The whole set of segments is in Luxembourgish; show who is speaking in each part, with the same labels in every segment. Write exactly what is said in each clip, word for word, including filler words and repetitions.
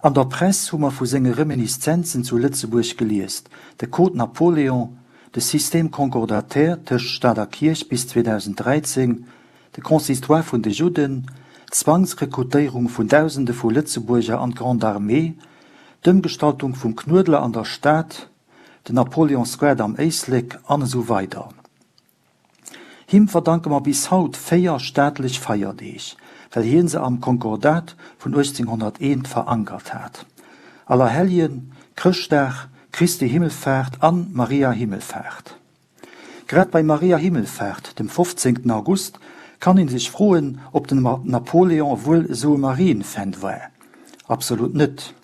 Speaker 1: An der Press hu mer vu senge Reminiszenzen zu Lëtzebuerg geliest, de Code Napoléon, de Système concordataire tëscht Staat a Kierch bis zweedausenddräizéng, de Consistoire vun de Judden, d'Zwangsrekrutéierung vun Dausende vu Lëtzebuerger an d'Grande Armée, d'Ëmgestaltung vum Knuedler an der Stad, den Napoleon Square am Éislek an esou weider. Him verdanke mer bis haut véier staatlech Feierdeeg, well hien se am Konkordat vun uechtzénghonnerteent verankert hat, Allerhelljen, Chrëschtdag, Christi Himmelfaart an Maria Himmelfaart. Grad bei Maria Himmelfaart, dem fofzéngten August, kann een sech froen, ob den Napoléon wuel esou e Marienfan war. Absolut net.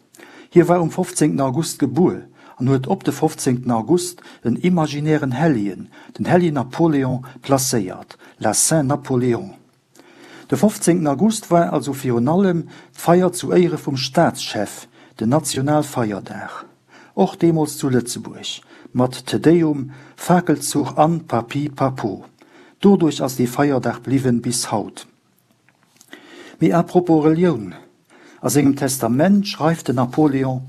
Speaker 1: Hie war um fofzéngten August gebuer an huet op de fofzéngten August en imaginären Helljen, den Helljen Napoléon, placéiert, la Saint Napoléon. De fofzéngten August war also virun allem d'Feier zu Éiere vum Staatschef, den Nationalfeierdag. Och deemools zu Lëtzebuerg, mat Te Deum, Fakelzuch an Papi Papo. Doduerch ass dee Feierdag bliwwen bis haut. Mee à propos Relioun, A sengem Testament schreift den Napoléon,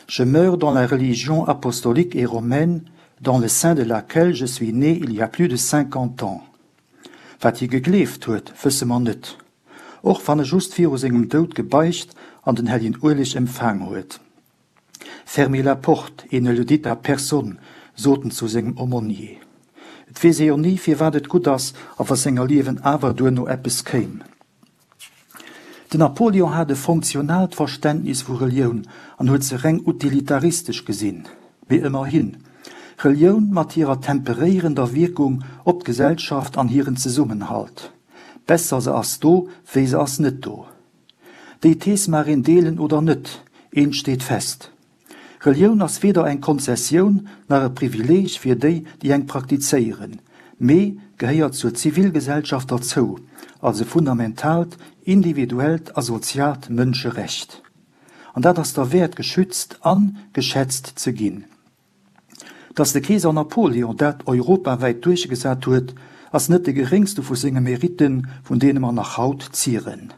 Speaker 1: Je meurs dans la religion apostolique et romaine, dans le sein de laquelle je suis né il y a plus de cinquante ans. Wat hie gegleeft huet, wësse mer net. Och wann e just viru sengem Doud gebeicht an den helljen Ueleg empfaang huet. Fermez la porte et ne le dites à personne, sot en zu sengem Aumônier. Et weess ee jo ni, firwat et gutt ass a wa senger Liewen awer duerno eppes kéim. Den Napoleon hat e funktionaalt Verständnis vu Relioun an huet se reng utilitaristesch gesinn. Mee ëmmerhin, Relioun mat hirer temperéierender Wierkung op d'Gesellschaft an hiren Zesummenhalt. Besser se ass do, wéi se ass net do. Déi Thees mag een deelen oder net, eent steet fest, Relioun ass weder eng Konzessioun nach e Privileeg fir déi, déi eng praktizéieren, mee gehéiert zur Zivilgesellschaft derzou, als e fundamentaalt individuellt a soziaalt Mënscherecht. An dat ass derwäert geschützt a geschätzt ze ginn. Datt de Keeser Napoleon dat europawäit duerchgesat huet, ass net de geréngste vu senge Meritten, vun deene mer nach haut zieren.